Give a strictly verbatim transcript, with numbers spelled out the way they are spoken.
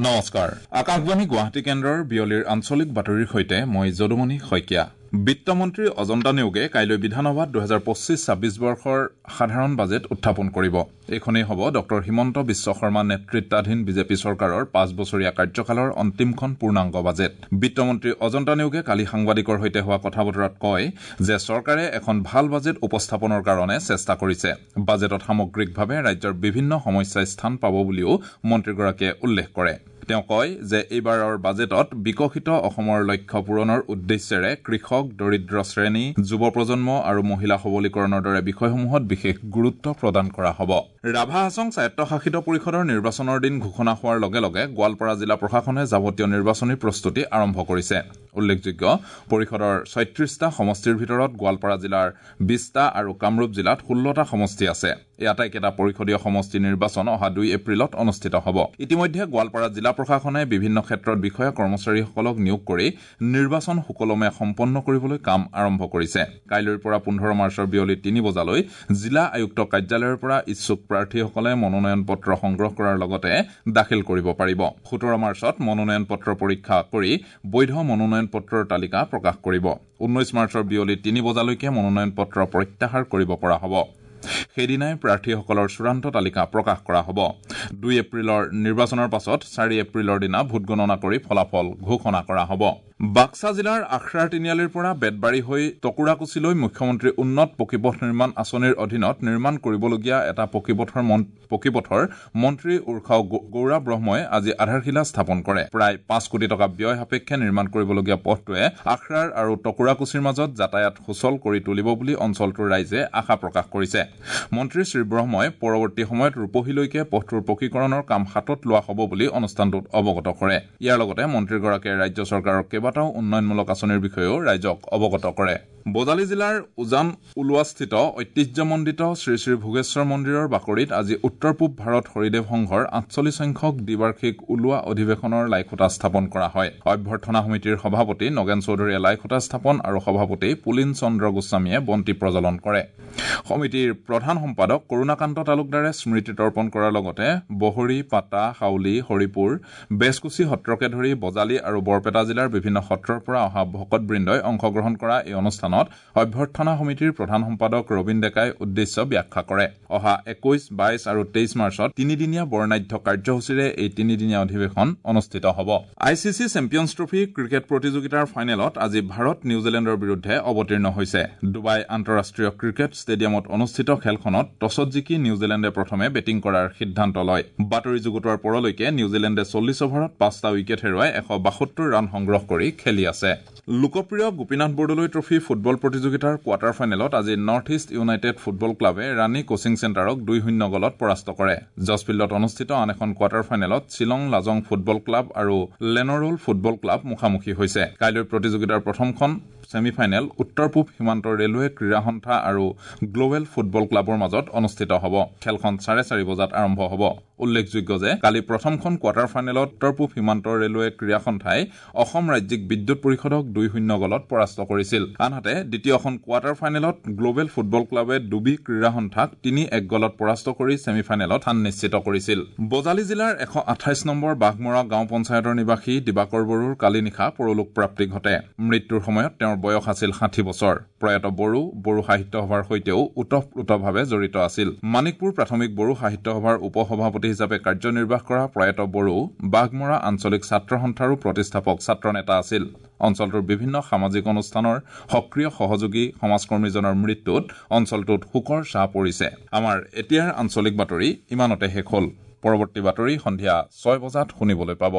নমস্কাৰ, আকাশবাণী গুৱাহাটী কেন্দ্ৰৰ বিয়লিৰ আঞ্চলিক বাতৰিৰ সৈতে মই যদুমণি শইকীয়া। বিত্তমন্ত্ৰী অজন্তা নেওগে কাইলৈ বিধানসভাত দুহেজাৰ পঁচিছ ছাব্বিছ বৰ্ষৰ সাধাৰণ বাজেট উত্থাপন কৰিব। এইখনেই হ'ব ডঃ হিমন্ত বিশ্ব শৰ্মা নেতৃত্বাধীন বিজেপি চৰকাৰৰ পাঁচ বছৰীয়া কাৰ্যকালৰ অন্তিমখন পূৰ্ণাংগ বাজেট। বিত্তমন্ত্ৰী অজন্তা নেওগে কালি সাংবাদিকৰ সৈতে হোৱা কথা বতৰাত কয় যে চৰকাৰে এখন ভাল বাজেট উপস্থাপনৰ কাৰণে চেষ্টা কৰিছে। বাজেটত সামগ্ৰিকভাৱে ৰাজ্যৰ বিভিন্ন সমস্যাই স্থান পাব বুলিও মন্ত্ৰীগৰাকীয়ে উল্লেখ কৰে। তেওঁ কয় যে এইবাৰৰ বাজেটত বিকশিত অসমৰ লক্ষ্য পূৰণৰ উদ্দেশ্যেৰে কৃষক, দৰিদ্ৰ শ্ৰেণী, যুৱ প্ৰজন্ম আৰু মহিলা সবলীকৰণৰ দৰে বিষয়সমূহত বিশেষ গুৰুত্ব প্ৰদান কৰা হ'ব। ৰাভা হাছং স্বায়ত্তশাসিত পৰিষদৰ নিৰ্বাচনৰ দিন ঘোষণা হোৱাৰ লগে লগে গোৱালপাৰা জিলা প্ৰশাসনে যাৱতীয় নিৰ্বাচনী প্ৰস্তুতি আৰম্ভ কৰিছে। উল্লেখযোগ্য, পৰিষদৰ ছয়ত্ৰিশটা সমষ্টিৰ ভিতৰত গোৱালপাৰা জিলাৰ বিশটা আৰু কামৰূপ জিলাত ষোল্লটা সমষ্টি আছে। এই আটাইকেইটা পৰিষদীয় সমষ্টি নিৰ্বাচন অহা দুই এপ্ৰিলত অনুষ্ঠিত হ'ব। ইতিমধ্যে গোৱালপাৰা জিলা প্ৰশাসনে বিভিন্ন ক্ষেত্ৰত বিষয়া কৰ্মচাৰীসকলক নিয়োগ কৰি নিৰ্বাচন সুকলমে সম্পন্ন কৰিবলৈ কাম আৰম্ভ কৰিছে। কাইলৈৰ পৰা পোন্ধৰ মাৰ্চৰ বিয়লি তিনি বজালৈ জিলা আয়ুক্ত কাৰ্যালয়ৰ পৰা ইচ্ছুক প্ৰাৰ্থীসকলে মনোনয়ন পত্ৰ সংগ্ৰহ কৰাৰ লগতে দাখিল কৰিব পাৰিব। সোতৰ মাৰ্চত মনোনয়ন পত্ৰ পৰীক্ষা কৰি বৈধ মনোনয়ন পত্ৰৰ তালিকা প্ৰকাশ কৰিব। ঊনৈশ মাৰ্চৰ বিয়লি তিনি বজালৈকে মনোনয়ন পত্ৰ প্ৰত্যাহাৰ কৰিব পৰা হ'ব। সেইদিনাই প্ৰাৰ্থীসকলৰ চূড়ান্ত তালিকা প্ৰকাশ কৰা হ'ব। দুই এপ্ৰিলৰ নিৰ্বাচনৰ পাছত চাৰি এপ্ৰিলৰ দিনা ভোটগণনা কৰি ফলাফল ঘোষণা কৰা হ'ব। বাক্সা জিলাৰ আখৰাৰ তিনিআলিৰ পৰা বেতবাৰী হৈ টকুৰাকুছিলৈ মুখ্যমন্ত্ৰী উন্নত পকীপথ নিৰ্মাণ আঁচনিৰ অধীনত নিৰ্মাণ কৰিবলগীয়া এটা পকীপথৰ পকীপথৰ মন্ত্ৰী উৰ্খাও গৌৰা ব্ৰহ্মই আজি আধাৰশিলা স্থাপন কৰে। প্ৰায় পাঁচ কোটি টকা ব্যয় সাপেক্ষে নিৰ্মাণ কৰিবলগীয়া পথটোৱে আখৰাৰ আৰু টকুৰাকুছিৰ মাজত যাতায়াত সুচল কৰি তুলিব বুলি অঞ্চলটোৰ ৰাইজে আশা প্ৰকাশ কৰিছে। মন্ত্ৰী শ্ৰীব্ৰহ্মই পৰৱৰ্তী সময়ত ৰূপহীলৈকে পথটোৰ পকীকৰণৰ কাম হাতত লোৱা হ'ব বুলি অনুষ্ঠানটোত অৱগত কৰে। ইয়াৰ লগতে মন্ত্ৰীগৰাকীয়ে ৰাজ্য চৰকাৰৰ কেইবাটাও উন্নয়নমূলক আঁচনিৰ বিষয়েও ৰাইজক অৱগত কৰে। বজালী জিলাৰ উজান ওলোৱাস্থিত ঐতিহ্যমণ্ডিত শ্ৰী শ্ৰী ভোগেশ্বৰ মন্দিৰৰ বাকৰিত আজি উত্তৰ পূব ভাৰত হৰিদেৱ সংঘৰ আঠচল্লিছ সংখ্যক দ্বিবাৰ্ষিক ওলোৱা অধিৱেশনৰ লাইখুঁটা স্থাপন কৰা হয়। অভ্যৰ্থনা সমিতিৰ সভাপতি নগেন চৌধুৰীয়ে লাইখুঁটা স্থাপন আৰু সভাপতি পুলিন চন্দ্ৰ গোস্বামীয়ে বন্তি প্ৰজ্বলন কৰে। সমিতিৰ প্ৰধান সম্পাদক কৰুণাকান্ত তালুকদাৰে স্মৃতি তৰ্পণ কৰাৰ লগতে বহৰী, পাতা, হাউলি, হৰিপুৰ, বেজকুছি সত্ৰকে ধৰি বজালী আৰু বৰপেটা জিলাৰ বিভিন্ন সত্ৰৰ পৰা অহা ভকতবৃন্দই অংশগ্ৰহণ কৰা এই অনুষ্ঠানত অভ্যৰ্থনা সমিতিৰ প্ৰধান সম্পাদক ৰবীন ডেকাই উদ্দেশ্য ব্যাখ্যা কৰে। অহা একৈশ, বাইশ আৰু তেইছ মাৰ্চত তিনিদিনীয়া বৰ্ণাঢ্য কাৰ্যসূচীৰে এই তিনিদিনীয়া অধিৱেশন অনুষ্ঠিত হ'ব। I C C Champions Trophy cricket প্ৰতিযোগিতাৰ ফাইনেলত আজি ভাৰত নিউজিলেণ্ডৰ বিৰুদ্ধে অৱতীৰ্ণ হৈছে। ডুবাই আন্তঃৰাষ্ট্ৰীয় ক্ৰিকেট ষ্টেডিয়ামত অনুষ্ঠিত খেলখনত টছত জিকি নিউজিলেণ্ডে প্ৰথমে বেটিং কৰাৰ সিদ্ধান্ত লয়। বাতৰি যুগুতোৱাৰ পৰলৈকে নিউজিলেণ্ডে চল্লিছ অভাৰত পাঁচটা উইকেট হেৰুৱাই এশ বাসত্তৰ ৰান সংগ্ৰহ কৰি খেলি আছে। লোকপ্ৰিয় গোপীনাথ বৰদলৈ ট্ৰফী ফুটবল প্ৰতিযোগিতাৰ কোৱাৰ্টাৰ ফাইনেলত আজি নৰ্থ ইষ্ট ইউনাইটেড ফুটবল ক্লাবে ৰাণী কোচিং চেণ্টাৰক দুই শূন্য গলত পৰাস্ত কৰে। জছফিল্ডত অনুষ্ঠিত আন এখন কোৱাৰ্টাৰ ফাইনেলত শ্বিলং লাজং ফুটবল ক্লাব আৰু লেনৰোল ফুটবল ক্লাব মুখামুখি হৈছে। কাইলৈ প্ৰতিযোগিতাৰ প্ৰথমখন ছেমি ফাইনেল উত্তৰ পূব সীমান্ত ৰেলৱে ক্ৰীড়া সন্থা আৰু গ্ল'বেল ফুটবল ক্লাবৰ মাজত অনুষ্ঠিত হ'ব। খেলখন চাৰে চাৰি বজাত আৰম্ভ হ'ব। উল্লেখযোগ্য যে কালি প্ৰথমখন কোৱাৰ্টাৰ ফাইনেলত উত্তৰ পূব সীমান্ত ৰেলৱে ক্ৰীড়া সন্থাই অসম ৰাজ্যিক বিদ্যুৎ পৰিষদক দুই শূন্য গলত পৰাস্ত কৰিছিল। আনহাতে দ্বিতীয়খন কোৱাৰ্টাৰ ফাইনেলত গ্ল'বেল ফুটবল ক্লাবে ডুবি ক্ৰীড়া সন্থাক তিনি এক গলত পৰাস্ত কৰি ছেমি ফাইনেলত স্থান নিশ্চিত কৰিছিল। বজালী জিলাৰ এশ আঠাইছ নম্বৰ বাঘমৰা গাঁও পঞ্চায়তৰ নিবাসী দিবাকৰ বড়োৰ কালি নিশা পৰলোক প্ৰাপ্তি ঘটে। মৃত্যুৰ সময়ত তেওঁৰ বয়স আছিল ষাঠি বছৰ। প্ৰয়াত বড়ো বড়ো সাহিত্য সভাৰ সৈতেও ওতঃপ্ৰোতভাৱে জড়িত আছিল। মানিকপুৰ প্ৰাথমিক বড়ো সাহিত্য সভাৰ উপ সভাপতি হিচাপে কাৰ্যনিৰ্বাহ কৰা প্ৰয়াত বড়ো বাঘমৰা আঞ্চলিক ছাত্ৰ সন্থাৰো প্ৰতিষ্ঠাপক ছাত্ৰ নেতা আছিল। অঞ্চলটোৰ বিভিন্ন সামাজিক অনুষ্ঠানৰ সক্ৰিয় সহযোগী সমাজকৰ্মীজনৰ মৃত্যুত অঞ্চলটোত শোকৰ ছাঁ পৰিছে। আমাৰ এতিয়াৰ আঞ্চলিক বাতৰি ইমানতে শেষ হ'ল। পৰৱৰ্তী বাতৰি সন্ধিয়া ছয় বজাত শুনিবলৈ পাব।